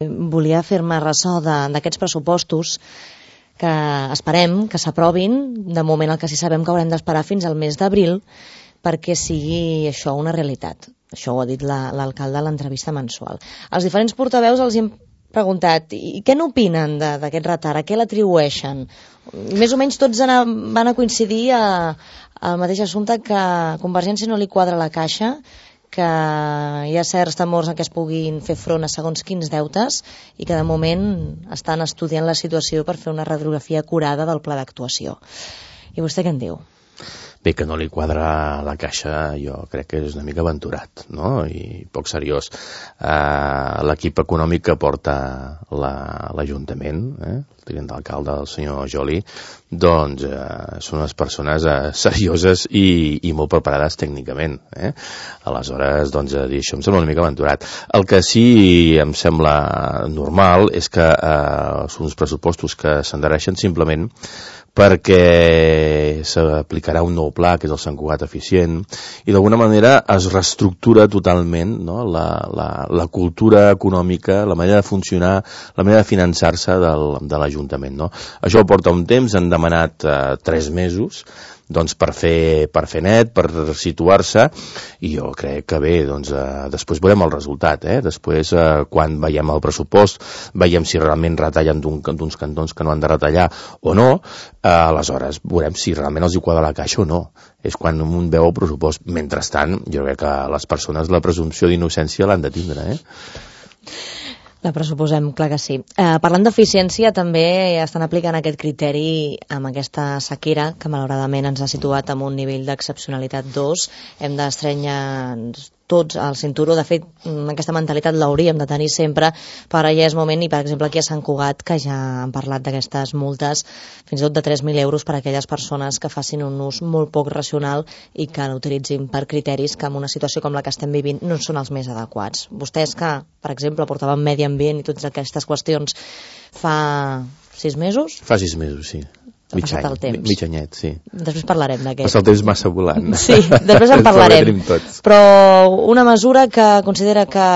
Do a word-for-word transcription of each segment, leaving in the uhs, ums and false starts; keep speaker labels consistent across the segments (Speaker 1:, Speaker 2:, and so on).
Speaker 1: Volia fer-me ressò d'aquests pressupostos que esperem que s'aprovin. De moment el que sí sabem que haurem d'esperar fins al mes d'abril perquè sigui això una realitat. Això ho ha dit l'alcalde a l'entrevista mensual. Els diferents portaveus els hem preguntat i què n'opinen d'aquest retard, a què l'atribueixen? Més o menys tots van a coincidir al mateix assumpte, que a Convergència no li quadra la caixa, que hi ha certs temors en què es puguin fer front a segons quins deutes i que de moment estan estudiant la situació per fer una radiografia acurada del pla d'actuació. I vostè què en diu?
Speaker 2: Bé, que no li quadra la caixa jo crec que és una mica aventurat, no? I poc seriós. Uh, L'equip econòmic que porta l'Ajuntament, la, eh? el tinent d'alcalde, el senyor Joli, doncs uh, són unes persones uh, serioses i, i molt preparades tècnicament. Eh? Aleshores, doncs, a dir, això em sembla una mica aventurat. El que sí em sembla normal és que uh, són uns pressupostos que s'endarreixen simplement perquè s'aplicarà un nou pla, que és el Sant Cugat Eficient, i d'alguna manera es reestructura totalment, no? la, la, la cultura econòmica, la manera de funcionar, la manera de finançar-se de l'Ajuntament. No? Això porta un temps, han demanat eh, tres mesos, doncs per fer, per fer net, per situar-se, i jo crec que bé, doncs eh, després veurem el resultat, eh? Després eh, quan veiem el pressupost, veiem si realment retallen d'uns cantons que no han de retallar o no, eh, aleshores veurem si realment els hi quadra la caixa o no. És quan un veu el pressupost. Mentrestant, jo crec que les persones la presumpció d'innocència l'han de tindre, eh?
Speaker 1: La pressuposem, clar que sí. Eh, parlant d'eficiència, també estan aplicant aquest criteri amb aquesta sequera, que malauradament ens ha situat en un nivell d'excepcionalitat dos. Hem d'estrenyar tots al cinturó. De fet, aquesta mentalitat l'hauríem de tenir sempre, però ja és moment, i per exemple aquí a Sant Cugat, que ja han parlat d'aquestes multes, fins i tot de tres mil euros per a aquelles persones que facin un ús molt poc racional i que l'utilitzin per criteris que en una situació com la que estem vivint no són els més adequats. Vostès que, per exemple, portaven medi ambient i totes aquestes qüestions fa sis mesos?
Speaker 2: Fa sis mesos, sí. Mig any, mig anyet, sí.
Speaker 1: Després parlarem d'aquest.
Speaker 2: Passa el temps massa volant.
Speaker 1: Sí, després en parlarem. Però una mesura que considera que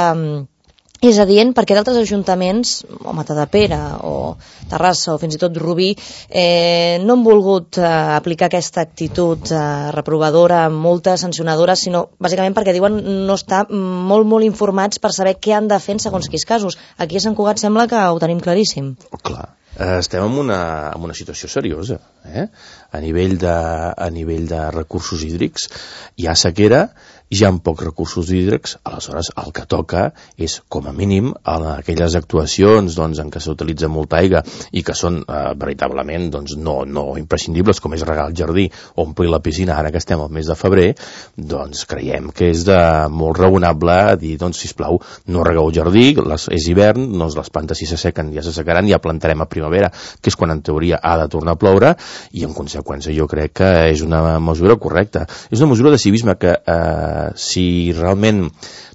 Speaker 1: és adient perquè d'altres ajuntaments, o Matadepera, o Terrassa, o fins i tot Rubí, eh, no han volgut eh, aplicar aquesta actitud eh, reprovadora, multa, sancionadora, sinó bàsicament perquè diuen no estar molt, molt informats per saber què han de fer en segons quins casos. Aquí a Sant Cugat sembla que ho tenim claríssim.
Speaker 2: Oh, clar. Estem en una, en una situació seriosa, eh? a, nivell de, a nivell de recursos hídrics. Hi ha sequera, hi ha pocs recursos hídrics, aleshores el que toca és, com a mínim, en aquelles actuacions doncs, en què s'utilitza molta aigua i que són eh, veritablement doncs, no, no imprescindibles, com és regar el jardí o omplir la piscina, ara que estem al mes de febrer, doncs creiem que és de molt raonable dir, doncs, sisplau, no regueu el jardí, les, és hivern, doncs les plantes si s'assequen ja s'assecaran, ja plantarem a primavera, que és quan en teoria ha de tornar a ploure, i en conseqüència jo crec que és una mesura correcta. És una mesura de civisme que eh, si realment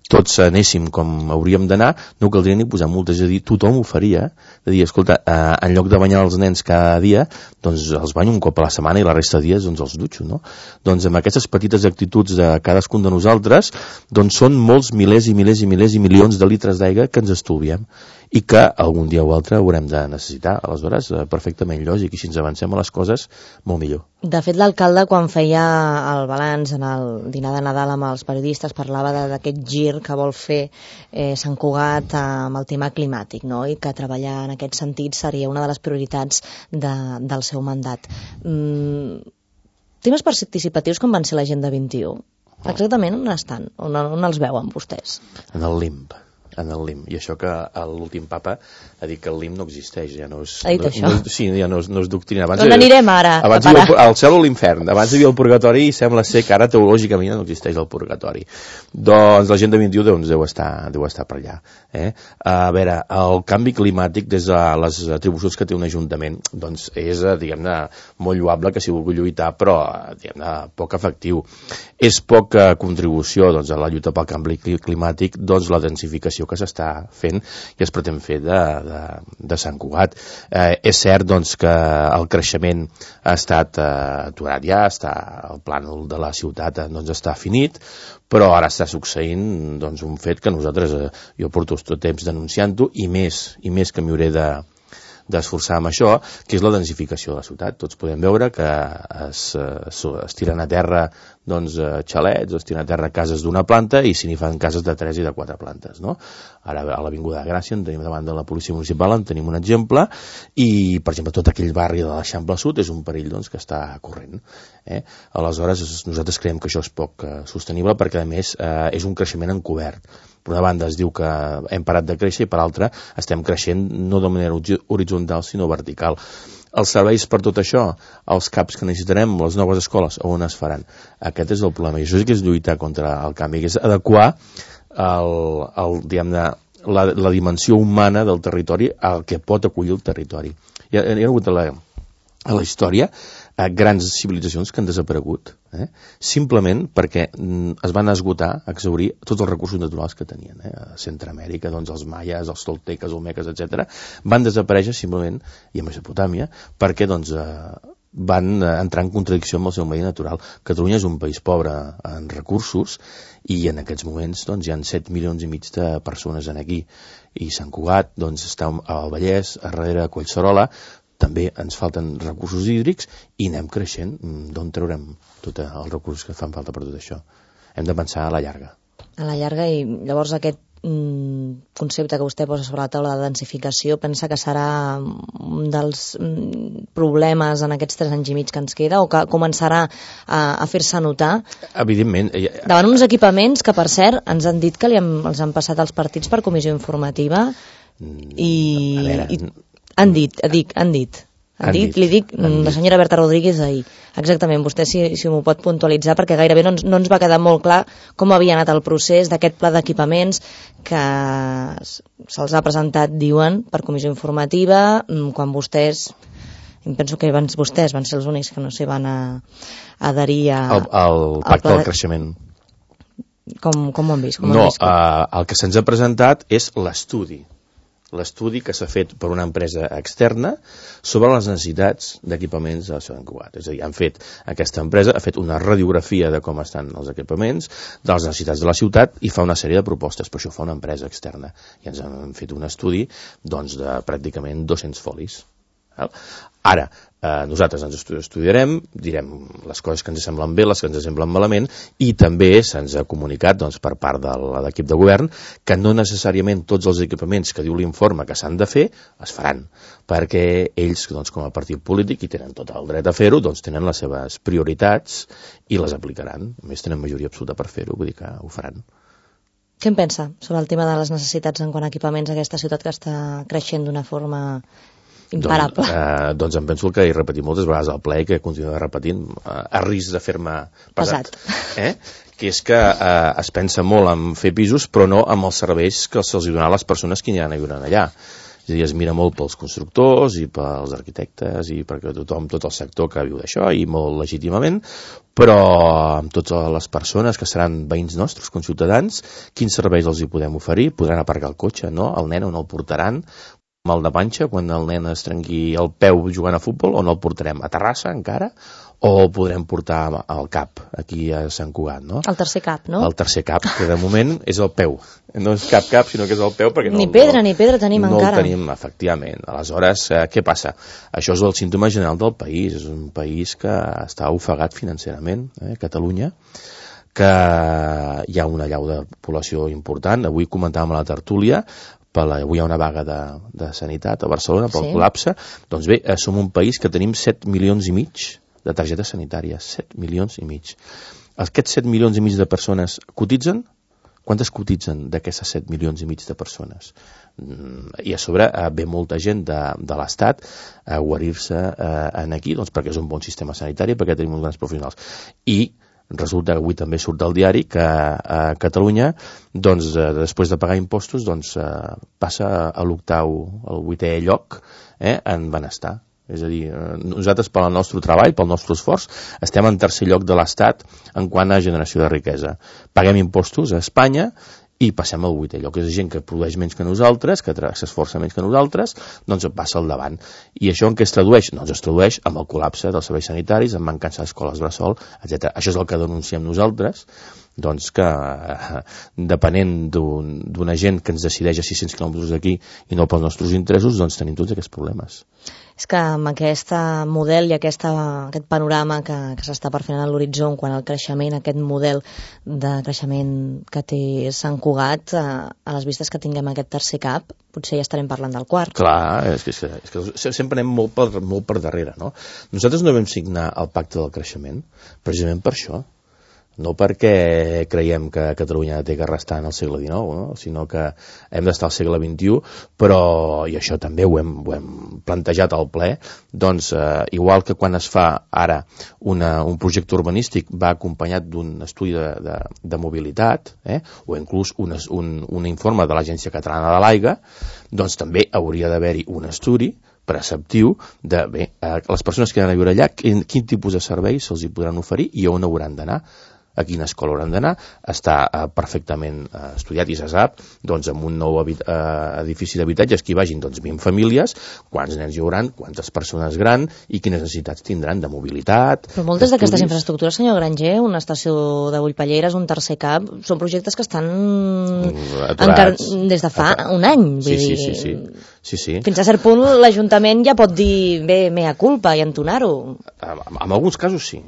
Speaker 2: tots anéssim com hauríem d'anar, no caldria ni posar multes, és a dir, tothom ho faria, de dir, escolta, eh, en lloc de banyar els nens cada dia, doncs els banyo un cop a la setmana i la resta de dies doncs els dutxo, no? Doncs amb aquestes petites actituds de cadascun de nosaltres, doncs són molts milers i milers i milers i milions de litres d'aigua que ens estolviem i que algun dia o altre haurem de necessitar. Aleshores, perfectament lògic, i si ens avancem a les coses, molt millor.
Speaker 1: De fet, l'alcalde, quan feia el balanç en el dinar de Nadal amb els periodistes, parlava d'aquest gir que vol fer eh, Sant Cugat amb el tema climàtic, no? I que treballar en aquest sentit seria una de les prioritats de, del seu mandat. Mm, temes participatius com van ser l'Agenda vint-i-u? Exactament on estan? On, on els veuen vostès?
Speaker 2: En el limb. en el L I M, i això que l'últim papa ha dit que el L I M no existeix, ja no és,
Speaker 1: ha dit
Speaker 2: no,
Speaker 1: això?
Speaker 2: No, sí, ja no és, no és doctrina. Abans
Speaker 1: on anirem ara?
Speaker 2: Abans hi havia el cel o l'infern, abans hi havia el purgatori i sembla ser que ara teològicament no existeix el purgatori. Doncs l'Agenda vint-i-u doncs, deu, estar, deu estar per allà. Eh? A veure, el canvi climàtic des de les atribucions que té un ajuntament doncs és, diguem-ne, molt lloable que s'hi vulgui lluitar, però diguem-ne, poc efectiu. És poca contribució doncs, a la lluita pel canvi climàtic doncs, la densificació inversió que s'està fent i es pretén fer de, de, de Sant Cugat. Eh, és cert doncs, que el creixement ha estat eh, aturat ja, està, el plànol de la ciutat eh, doncs, està finit, però ara està succeint doncs, un fet que nosaltres, eh, jo porto tot temps denunciant-ho, i més, i més que m'hi hauré de d'esforçar amb això, que és la densificació de la ciutat. Tots podem veure que es, es, es tiren a terra doncs, xalets, es tiren a terra cases d'una planta i se n'hi fan cases de tres i de quatre plantes. No? Ara a l'Avinguda de Gràcia en tenim davant de la policia municipal, en tenim un exemple, i per exemple tot aquell barri de l'Eixample Sud és un perill doncs, que està corrent. Eh? Aleshores nosaltres creiem que això és poc eh, sostenible perquè a més eh, és un creixement encobert. Per una banda es diu que hem parat de créixer i per l'altra estem creixent no de manera horitzontal sinó vertical. Els serveis per tot això, els CAPs que necessitarem, les noves escoles, on es faran? Aquest és el problema i això sí que és lluitar contra el canvi, que és adequar el, el, diguem-ne, la, la dimensió humana del territori al que pot acollir el territori. Hi ha, hi ha hagut a la, a la història a grans civilitzacions que han desaparegut, eh? simplement perquè mm, es van esgotar, exhaurir tots els recursos naturals que tenien. Eh? A Centroamèrica, doncs, els maies, els tolteques, olmeques, etcètera, van desaparèixer simplement, i a Mesopotàmia, perquè doncs, eh, van entrar en contradicció amb el seu medi natural. Catalunya és un país pobre en recursos i en aquests moments doncs, hi ha set milions i mig de persones en aquí. I Sant Cugat doncs, està al Vallès, a darrere a Collserola, també ens falten recursos hídrics i anem creixent. D'on traurem tots els recursos que fan falta per tot això? Hem de pensar a la llarga.
Speaker 1: A la llarga, i llavors aquest mm, concepte que vostè posa sobre la taula de densificació, pensa que serà un dels mm, problemes en aquests tres anys i mig que ens queda, o que començarà a, a fer-se notar?
Speaker 2: Evidentment.
Speaker 1: Davant uns equipaments que, per cert, ens han dit que li hem, els han passat als partits per comissió informativa i...
Speaker 2: A veure...
Speaker 1: i Han dit, dic, han dit. Han, han dit, dit, li dic, la senyora Berta Rodríguez ahir. Exactament, vostè si, si m'ho pot puntualitzar, perquè gairebé no ens, no ens va quedar molt clar com havia anat el procés d'aquest pla d'equipaments que se'ls ha presentat, diuen, per comissió informativa, quan vostès, em penso que abans vostès van ser els únics que no s'hi van a, a adherir a...
Speaker 2: El, el pacte del creixement.
Speaker 1: Com, com ho han vist? Com
Speaker 2: no,
Speaker 1: han vist?
Speaker 2: Uh, el que se'ns ha presentat és l'estudi. l'estudi que s'ha fet per una empresa externa sobre les necessitats d'equipaments de Sant Cugat. És a dir, han fet, aquesta empresa ha fet una radiografia de com estan els equipaments, de les necessitats de la ciutat i fa una sèrie de propostes, però això fa una empresa externa. I ens han fet un estudi doncs, de pràcticament dos-cents folis. Ara, eh, nosaltres ens estudiarem, direm les coses que ens semblen bé, les que ens semblen malament, i també se'ns ha comunicat doncs, per part de l'equip de govern que no necessàriament tots els equipaments que diu l'informe que s'han de fer es faran, perquè ells, doncs, com a partit polític, i tenen tot el dret a fer-ho, doncs tenen les seves prioritats i les aplicaran. A més, tenen majoria absoluta per fer-ho, vull dir que ho faran.
Speaker 1: Què en pensa sobre el tema de les necessitats en quant a equipaments a aquesta ciutat que està creixent d'una forma imparable?
Speaker 2: Doncs, eh, doncs em penso que he repetit moltes vegades al ple i que continuo repetint eh, a risc de fer-me pesat, pesat. Eh? Que és que eh, es pensa molt en fer pisos però no amb els serveis que se'ls donaran a les persones que hi han a viure allà. És a dir, es mira molt pels constructors i pels arquitectes i perquè tothom, tot el sector que viu d'això i molt legítimament, però amb totes les persones que seran veïns nostres, conciutadans, quins serveis els hi podem oferir? Podran aparcar el cotxe, no? El nen on el portaran? Mal de panxa quan el nen es trenqui el peu jugant a futbol, on el portarem? A Terrassa encara? O el podrem portar al CAP, aquí a Sant Cugat, no?
Speaker 1: El tercer CAP, no?
Speaker 2: El tercer CAP, que de moment és el peu. No és cap cap, sinó que és el peu, perquè no...
Speaker 1: Ni pedra, no, ni pedra tenim
Speaker 2: no
Speaker 1: encara.
Speaker 2: No el tenim, efectivament. Aleshores, eh, què passa? Això és el símptoma general del país. És un país que està ofegat financerament, eh, Catalunya, que hi ha una llau de població important. Avui comentàvem a la tertúlia, per la, avui hi ha una vaga de, de sanitat a Barcelona pel sí. col·lapse. Doncs bé, eh, som un país que tenim set milions i mig de targetes sanitàries. set milions i mig. Aquests set milions i mig de persones cotitzen? Quantes cotitzen d'aquestes set milions i mig de persones? I a sobre eh, ve molta gent de, de l'Estat a guarir-se eh, aquí, doncs perquè és un bon sistema sanitari, perquè tenim uns grans professionals. I resulta que avui també surt al diari que a Catalunya, doncs, eh, després de pagar impostos, doncs, eh, passa a l'octau, al vuitè lloc eh, en benestar. És a dir, eh, nosaltres pel nostre treball, pel nostre esforç, estem en tercer lloc de l'Estat en quant a generació de riquesa. Paguem impostos a Espanya i passem al vuitè lloc. És gent que produeix menys que nosaltres, que s'esforça menys que nosaltres, doncs passa al davant. I això en què es tradueix? Doncs es tradueix amb el col·lapse dels serveis sanitaris, amb mancança d'escoles bressol, etcètera. Això és el que denunciem nosaltres, doncs que depenent d'una gent que ens decideix a sis-cents quilòmetres d'aquí i no pels nostres interessos, doncs tenim tots aquests problemes.
Speaker 1: És que amb aquest model i aquesta, aquest panorama que, que s'està perfent a l'horitzó quan el creixement, aquest model de creixement que té Sant Cugat, a, a les vistes que tinguem aquest tercer cap, potser ja estarem parlant del quart.
Speaker 2: Clar, és que, és que sempre anem molt per, molt per darrere, no? Nosaltres no vam signar el pacte del creixement precisament per això. No perquè creiem que Catalunya té que restar en el segle dinou, no? Sinó que hem d'estar al segle vint-i-u, però, i això també ho hem, ho hem plantejat al ple, doncs eh, igual que quan es fa ara una, un projecte urbanístic va acompanyat d'un estudi de, de, de mobilitat, eh? O inclús un, un, un informe de l'Agència Catalana de l'Aigua, doncs també hauria d'haver-hi un estudi preceptiu de, bé, eh, les persones que han de viure allà, quin, quin tipus de serveis se'ls hi podran oferir i on hauran d'anar, a quina escola hauran d'anar, està eh, perfectament eh, estudiat i se sap, doncs amb un nou eh, edifici d'habitatges que hi vagin doncs vint famílies, quants nens hi hauran, quantes persones gran i quines necessitats tindran de mobilitat.
Speaker 1: Però moltes d'aquestes infraestructures, senyor Granger, una estació de Bullpalleres, un tercer cap, són projectes que estan encara des de fa Aturats. un any. Vull
Speaker 2: sí,
Speaker 1: dir,
Speaker 2: sí, sí, sí. Sí, sí.
Speaker 1: Fins a cert punt l'Ajuntament ja pot dir bé, mea culpa i entonar-ho.
Speaker 2: En, en alguns casos sí.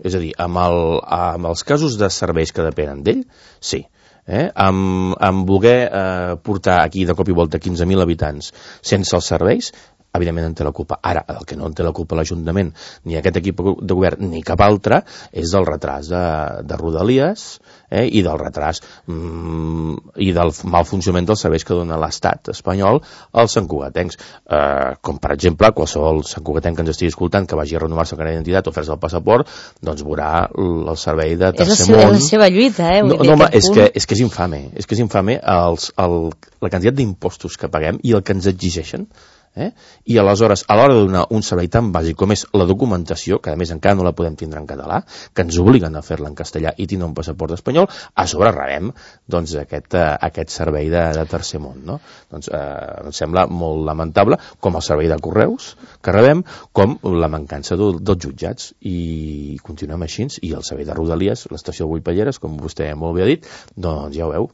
Speaker 2: És a dir, amb, el, amb els casos de serveis que depenen d'ell, sí. Eh? Amb, amb voler eh, portar aquí de cop i volta quinze mil habitants sense els serveis, evidentment en té la culpa. Ara, el que no en té la culpa l'Ajuntament, ni aquest equip de govern, ni cap altre, és del retras de, de Rodalies eh, i del retras mm, i del mal funcionament dels serveis que dona l'Estat espanyol als santcugatencs. Eh, com, per exemple, qualsevol santcugatenc que ens estigui escoltant que vagi a renovar-se el carnet d'identitat o fer-se el passaport, doncs veurà el servei de tercer
Speaker 1: és
Speaker 2: món.
Speaker 1: És la seva lluita, eh?
Speaker 2: No, no home, és que, és que és infame. És que és infame els, el, la quantitat d'impostos que paguem i el que ens exigeixen. Eh? I aleshores, a l'hora de donar un servei tan bàsic com és la documentació, que a més encara no la podem tindre en català, que ens obliguen a fer-la en castellà i tindre un passaport espanyol, a sobre rebem doncs, aquest, uh, aquest servei de, de tercer món. No? Doncs uh, em sembla molt lamentable, com el servei de correus que rebem, com la mancança del, dels jutjats. I continuem així, i el servei de Rodalies, l'estació de Bullpalleres, com vostè molt bé ha dit, doncs ja ho veu.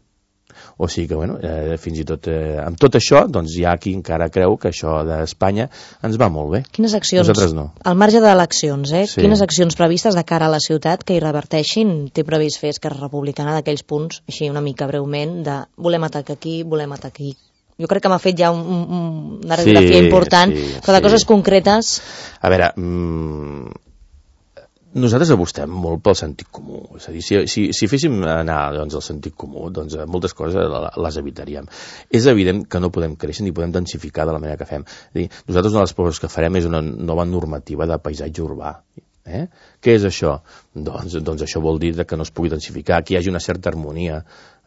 Speaker 2: O sigui que, bueno, eh, fins i tot eh, amb tot això, doncs hi ha qui encara creu que això d'Espanya ens va molt bé.
Speaker 1: Quines accions,
Speaker 2: nosaltres no.
Speaker 1: Al marge d'eleccions, eh?
Speaker 2: Sí.
Speaker 1: Quines accions previstes de cara a la ciutat que hi reverteixin té previst fer Esquerra Republicana d'aquells punts, així una mica breument, de volem atacar aquí, volem atacar aquí? Jo crec que m'ha fet ja un, un, una radiografia sí, important, sí, però de sí. coses concretes... A
Speaker 2: veure... Mm... Nosaltres apostem molt pel sentit comú. És a dir, si, si, si féssim anar doncs, al sentit comú, doncs moltes coses les evitaríem. És evident que no podem créixer ni podem densificar de la manera que fem. És dir, nosaltres una de les coses que farem és una nova normativa de paisatge urbà. Eh? Què és això? Doncs, doncs això vol dir que no es pugui densificar, que hi hagi una certa harmonia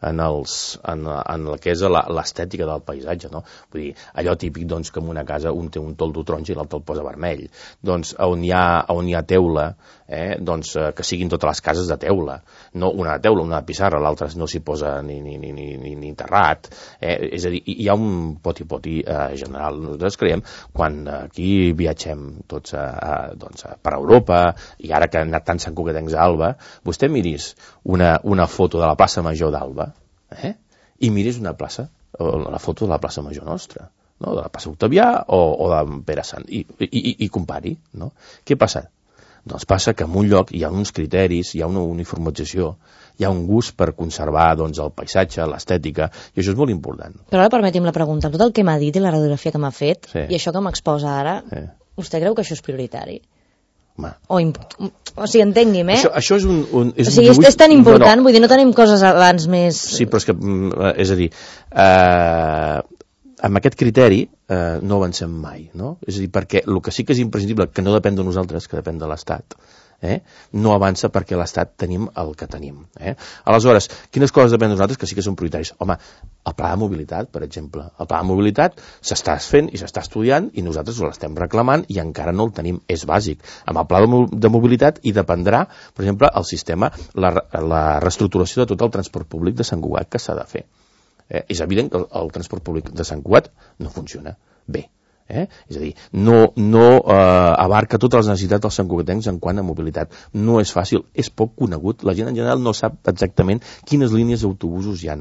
Speaker 2: en, els, en, en el que és l'estètica del paisatge, no? Vull dir, allò típic doncs, que en una casa un té un toldo taronja i l'altre el posa vermell. Doncs on hi ha, on hi ha teula, eh, doncs, que siguin totes les cases de teula, no una de teula, una de pissarra, l'altra no s'hi posa ni, ni, ni, ni, ni terrat. Eh? És a dir, hi ha un poti-poti eh, general. Nosaltres creiem, quan aquí viatgem tots a, a, doncs, a, per Europa, i ara que han anat tants santcugatencs a Alba, vostè miris una, una foto de la plaça Major d'Alba, eh? i miris una plaça, o la foto de la plaça Major nostra, no? De la plaça Octavià o, o de Pere Sant, i, i, i, i compari, no? Què passa? Doncs passa que en un lloc hi ha uns criteris, hi ha una uniformització, hi ha un gust per conservar doncs, el paisatge, l'estètica, i això és molt important.
Speaker 1: Però ara permeti'm la pregunta, amb tot el que m'ha dit i la radiografia que m'ha fet, sí. i això que m'exposa ara, sí. vostè creu que això és prioritari? O, o sigui, entengui'm, eh?
Speaker 2: Això, això és un... un és
Speaker 1: o sigui,
Speaker 2: un dibuix...
Speaker 1: és tan important,
Speaker 2: no, no.
Speaker 1: vull dir, no tenim coses abans més...
Speaker 2: Sí, però és que, és a dir, eh, amb aquest criteri eh, no avancem mai, no? És a dir, perquè el que sí que és imprescindible, que no depèn de nosaltres, que depèn de l'Estat, Eh? no avança perquè l'Estat tenim el que tenim. Eh? Aleshores, quines coses depèn de nosaltres que sí que són prioritaris? Home, el pla de mobilitat, per exemple. El pla de mobilitat s'està fent i s'està estudiant i nosaltres l'estem reclamant i encara no el tenim. És bàsic. Amb el pla de mobilitat hi dependrà, per exemple, el sistema, la, la reestructuració de tot el transport públic de Sant Cugat que s'ha de fer. Eh? És evident que el, el transport públic de Sant Cugat no funciona bé. Eh? És a dir, no, no eh, abarca totes les necessitats dels santcugatencs en quant a mobilitat. No és fàcil, és poc conegut. La gent en general no sap exactament quines línies d'autobusos hi ha.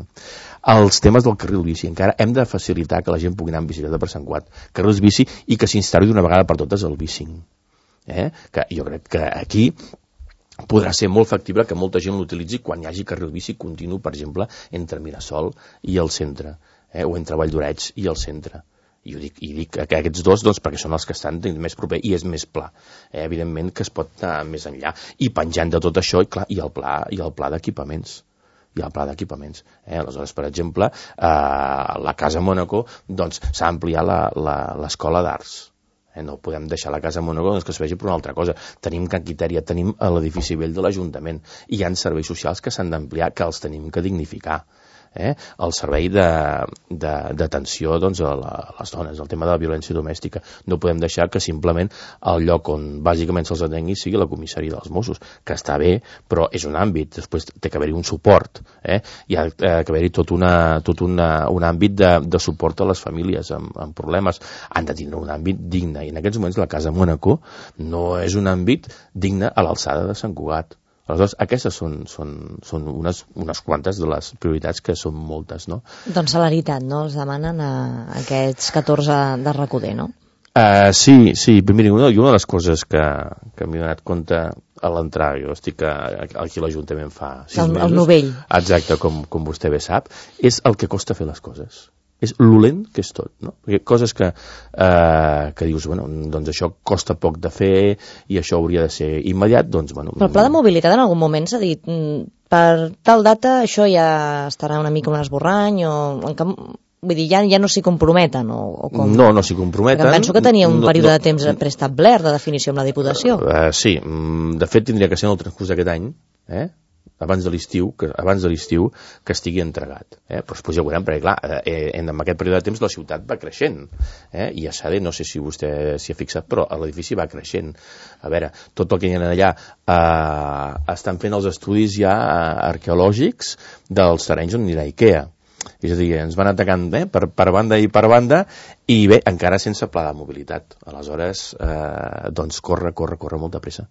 Speaker 2: Els temes del carril bici, encara hem de facilitar que la gent pugui anar en bicicleta per Sant Cugat. Carrils bici i que s'instal·li d'una vegada per totes el bicing. Eh? Que jo crec que aquí podrà ser molt factible que molta gent l'utilitzi quan hi hagi carril bici continu, per exemple, entre Mirasol i el centre, eh? o entre Valldoreix i el centre. I ho dic, i dic que aquests dos doncs, perquè són els que estan més proper i és més pla. Eh, evidentment que es pot anar més enllà. I penjant de tot això, i clar, i el pla, i el pla d'equipaments. I el pla d'equipaments. Eh, aleshores, per exemple, eh, la Casa Mònaco doncs, s'ha ampliat l'escola d'arts. Eh, no podem deixar la Casa Mònaco doncs, que es vegi per una altra cosa. Tenim Can Quitèria, tenim l'edifici vell de l'Ajuntament. I hi ha serveis socials que s'han d'ampliar, que els tenim que dignificar. Eh? El servei d'atenció doncs, a, la, a les dones, el tema de la violència domèstica. No podem deixar que simplement el lloc on bàsicament se'ls atengui sigui la comissaria dels Mossos, que està bé, però és un àmbit, després té que haver-hi un suport, eh? hi ha que haver-hi tot, una, tot una, un àmbit de, de suport a les famílies amb, amb problemes. Han de tindre un àmbit digne, i en aquests moments la Casa Mònaco no és un àmbit digne a l'alçada de Sant Cugat. Aleshores, aquestes són, són, són unes, unes quantes de les prioritats que són moltes, no?
Speaker 1: Doncs celeritat, no? Els demanen a aquests catorze de Recoder, no?
Speaker 2: Uh, sí, sí. Miri, una, una de les coses que, que m'he donat compte a l'entrar, jo estic a, aquí a l'Ajuntament fa sis
Speaker 1: el,
Speaker 2: mesos.
Speaker 1: El novell.
Speaker 2: Exacte, com, com vostè bé sap, és el que costa fer les coses. És l'olent que és tot, no? Perquè coses que, eh, que dius, bueno, doncs això costa poc de fer i això hauria de ser immediat, doncs, bueno...
Speaker 1: Però el pla de mobilitat en algun moment s'ha dit, per tal data això ja estarà una mica un esborrany o... Vull dir, ja, ja no s'hi comprometen o, o com?
Speaker 2: No, no s'hi comprometen.
Speaker 1: Perquè penso que tenia un
Speaker 2: no,
Speaker 1: període
Speaker 2: no,
Speaker 1: de temps preestablert de definició amb la Diputació.
Speaker 2: Uh, sí, de fet tindria que ser en el transcurs d'aquest any, eh? abans de l'estiu, que abans de l'estiu que estigui entregat. Eh? Però després ja ho veurem, perquè clar, eh, en aquest període de temps la ciutat va creixent. Eh? I a Sade, no sé si vostè s'hi ha fixat, però l'edifici va creixent. A veure, tot el que hi ha allà eh, estan fent els estudis ja arqueològics dels terrenys on anirà IKEA. És a dir, ens van atacant eh, per, per banda i per banda i bé, encara sense pla de mobilitat. Aleshores, eh, doncs corre, corre, corre molta pressa.